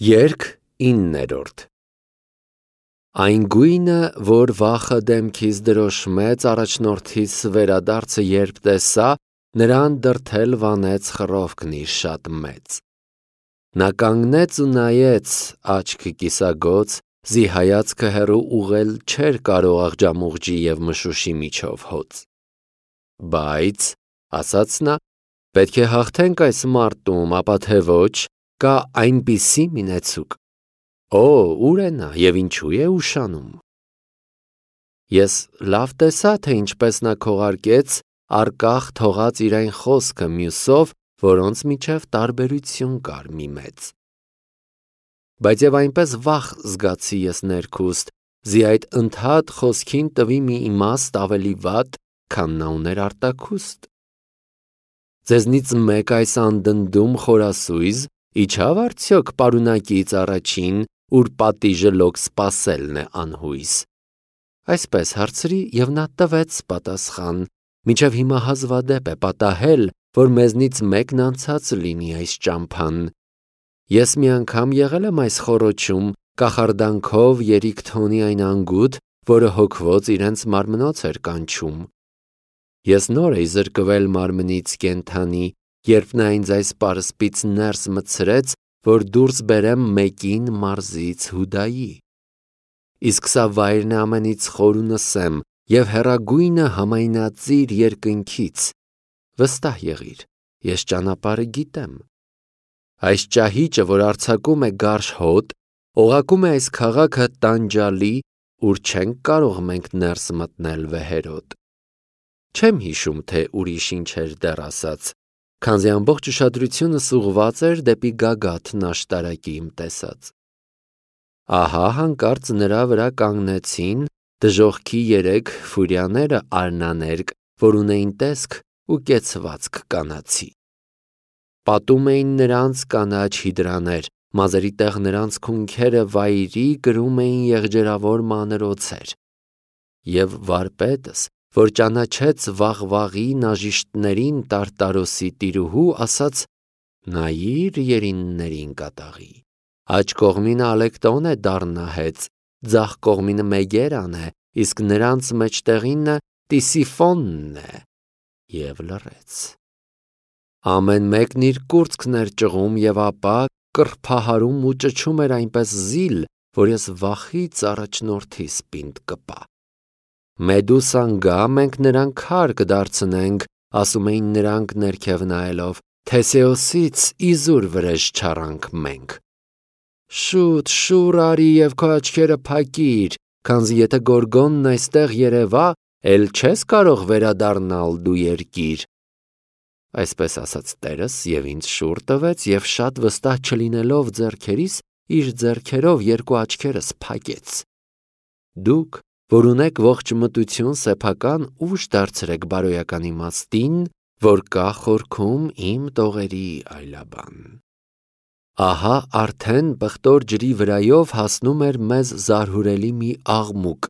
Երգ 9-րդ Այն գույնը, որ վախը դեմքից դրոշմեց առաջնորդիս վերադարձը երբ տեսա, նրան դրդել վանեց խռովքն իր շատ մեծ։ Նա կանգնեց ու նայեց, աչքը կիսագոց, զի հայացքը հեռու ուղղել չէր կարող աղջամուղջի և մշուշի միջով հոծ։ Բայց, ասաց նա, պետք է հաղթենք այս մարտում, ապա թե ոչ, կա այնպիսի մի նեցուկ։ Օ, ուր է նա և ինչու է ուշանում։ Ես լավ տեսա, թե ինչպես նա քողարկեց, առկախ թողած իր այն խոսքը մյուսով, որոնց միջև տարբերություն կար մի մեծ։ Բայց և այնպես վախ զգացի ես ներքուստ, զի այդ ընդհատ խոսքին տվի մի իմաստ ավելի վատ, քան նա ուներ արտաքուստ։ Ձեզնից մեկ այս անդնդում խորասույզ իջավ արդյոք պարունակից առաջին, ուր պատիժը լոկ սպասելն է անհույս։ Այսպես հարցրի, և նա տվեց պատասխան, մինչև հիմա հազվադեպ է պատահել, որ մեզնից մեկն անցած լինի այս ճամփան։ Ես մի անգամ եղել եմ այս խոռոչում, կախարդանքով երիք թոնի այն անգութ, որը հոգվոց իրենց մարմնոց էր կանչում։ Ես նոր էի զրկվել մարմնից կենդանի, երբ նա ինձ այս պարսպից ներս մտցրեց, որ դուրս բերեմ մեկին մարզից Հուդայի։ Իսկ սա վայրն է ամենից խոր ու նսեմ և հեռագույնը համայնածիր երկնքից։ Վստահ եղիր, ես ճանապարհը գիտեմ։ Այս ճահիճը, որ արձակում է գարշ հոտ, օղակում է այս քաղաքը տանջալի, ուր չենք կարող մենք ներս մտնել վեհերոտ։ Չեմ հիշում, թե ուրիշ ինչ էր դեռ ասած, քանզի ամբողջ ուշադրությունս ուղղված էր դեպի գագաթն աշտարակի իմ տեսած։ Ահա հանկարծ նրա վրա կանգնեցին դժոխքի 3 ֆուրիաները արնաներկ, որ ունեին տեսք ու կեցվածք կանացի։ Պատում էին նրանց կանաչ հիդրաներ, մազերի տեղ նրանց քունքերը վայրի կրում էին եղջերավոր մանր օձեր։ Եվ վարպետս, որ ճանաչեց վաղվաղի նաժիշտներին Տարտարոսի տիրուհու, ասաց. նայիր երիններին կատաղի, աջ կողմինը Ալեկտոն է դառնահեց, ձախ կողմինը Մեգերան է, իսկ նրանց մեջտեղինը Տիսիֆոնն է, և լռեց։ Ամեն մեկն իր կուրծքն էր ճղում և ապա կռփահարում ու ճչում էր այնպես զիլ, որ ես վախից առաջնորդիս պինդ կպա։ Մեդուսան գա, մենք նրան քար կդարձնենք, ասում էին նրանք ներքև նայելով, Թեսեոսից իզուր վրեժ չառանք մենք։ Շուտ շուռ արի և քո աչքերը փակիր, քանզի եթե Գորգոնն այստեղ երևա, էլ չես կարող վերադառնալ դու երկիր։ Այսպես ասաց տերս և ինձ շուռ տվեց և շատ վստահ չլինելով ձեռքերիս, իր ձեռքերով երկու աչքերս փակեց։ Դուք, որ ունեք ողջ մտություն սեփական, ուժ դարձրեք բարոյական իմաստին, որ կա խորքում իմ տողերի այլաբան։ Ահա արդեն պղտոր ջրի վրայով հասնում էր մեզ զարհուրելի մի աղմուկ,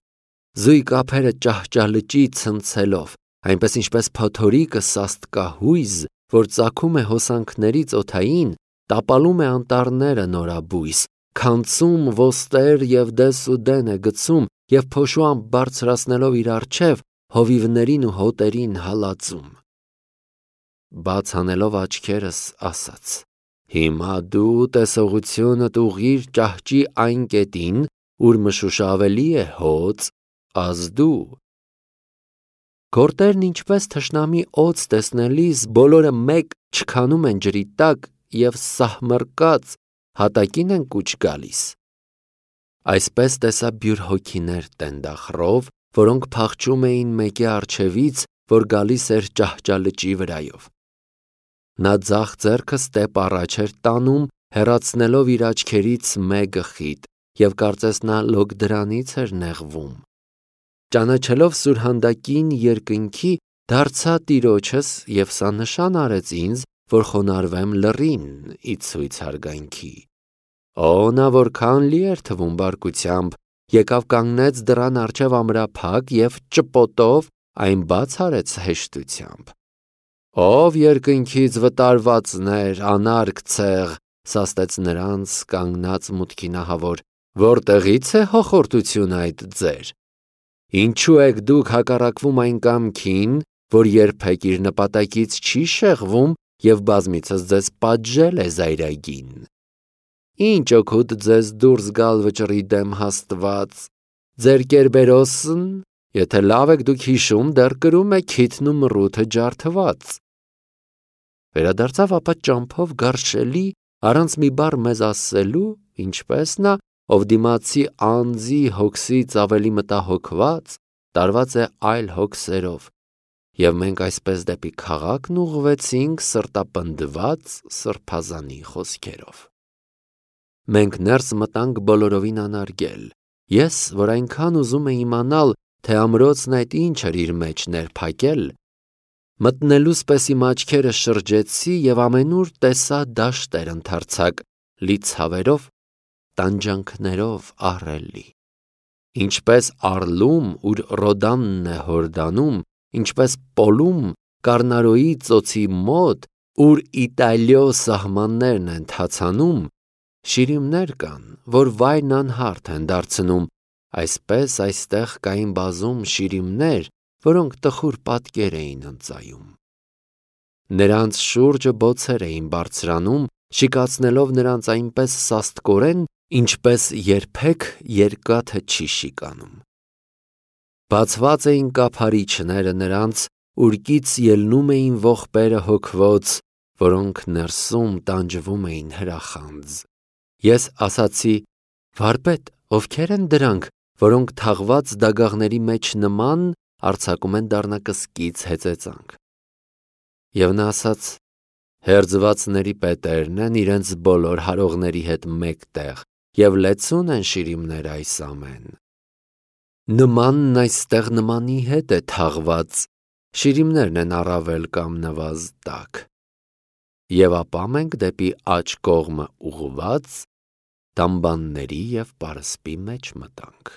զույգ ափերը ճահճալճի ցնցելով, այնպես ինչպես փոթորիկը սաստկահույզ, որ ծագում է հոսանքներից օդային, տապալում է անտառները նորաբույս, քանցում ոստեր և դես ու դեն է գցում և փոշուամբ բարձրացնելով իր առջև, հովիվներին ու հոտերին հալածում։ Բաց անելով աչքերս, ասաց. հիմա դու տեսողությունդ ուղղիր ճահճի այն կետին, ուր մշուշը ավելի է հոծ, ազդու։ Գորտերն ինչպես թշնամի օձ տեսնելիս, բոլորը մեկ չքանում են ջրի տակ և սահմռկած հատակին են կուչ գալիս։ Այսպես տեսա բյուր հոգիներ տենդախռով, որոնք փախչում էին մեկի առջևից, որ գալիս էր ճահճալճի վրայով։ Նա ձախ ձեռքը ստեպ առաջ էր տանում, հեռացնելով իր աչքերից մեկը խիտ, և կարծես նա լոկ դրանից էր նեղվում։ Ճանաչելով սուրհանդակին երկնքի, դարձա տիրոջս և սա նշան արեց ինձ, որ խոնարհվեմ լռին ի ցույց հարգանքի։ Օ, նա որքան լի էր թվում բարկությամբ, եկավ կանգնեց դռան առջև ամրափակ և ճպոտով այն բաց արեց հեշտությամբ։ Ով երկնքից վտարվածներ, անարգ ցեղ, սաստեց նրանց կանգնած մուտքի նահավոր. «Որտեղից է հոխորտություն այդ ձեր։ Ինչու եք դուք հակառակվում այն կամքին, որ երբեք իր նպատակից չի շեղվում և բազմիցս ձեզ պատժել է զայրագին։ Ինչ օգուտ ձեզ դուրս գալ վճռի դեմ հաստված, ձեր կերբերոսն, եթե լավ եք դուք հիշում, դեռ կրում է քիթն ու մռութը ջարդված»։ Վերադարձավ ապա ճամփով գարշելի, առանց մի բառ մեզ ասելու, ինչպես նա, ով դիմացի անձի հոգսից ավելի մտահոգված, տարված է այլ հոգսերով, և մենք այսպես դեպի քաղաքն ուղղվեցինք սրտապնդված սրբազանի խոսքերով։ Մենք ներս մտանք բոլորովին անարգել, ես, որ այնքան ուզում էի իմանալ, թե ամրոցն այդ ինչ էր իր մեջ ներփակել, մտնելուց պես իմ աչքերը շրջեցի և ամենուր տեսա դաշտեր ընդարձակ, լի ցավերով, տանջանքներով ահռելի, ինչպես Առլում, ուր Ռոդանն է հորդանում, ինչպես Պոլում, Կարնարոյի ծոցի մոտ, ուր Իտալիո սահմաններն են թացանում, շիրիմներ կան, որ վայրն անհարթ են դարձնում, այսպես այստեղ կային բազում շիրիմներ, որոնք տխուր պատկեր էին ընծայում։ Նրանց շուրջը բոցեր էին բարձրանում, շիկացնելով նրանց այնպես սաստկորեն, ինչպես երբեք երկաթը չի շիկանում։ Բացված էին կափարիչները նրանց, ուրկից ելնում էին ողբերը հոգվոց, որոնք ներսում տանջվում էին հրախանձ։ Ես ասացի. «Վարպետ, ովքեր են դրանք, որոնք թաղված դագաղների մեջ նման արձակում են դառնակսկից հեծեծանք»։ Եվ նա ասաց. «Հերձվածների պետերն են իրենց բոլոր հարողների հետ մեկտեղ և լեցուն են շիրիմներ այս ամեն։ Նմանն այստեղ նմանի հետ է թաղված, շիրիմներն են առավել կամ նվազ տաք։ Եվ ապա մենք դեպի աջ կողմը ուղղված, դամբանների և պարսպի մեջ մտանք»։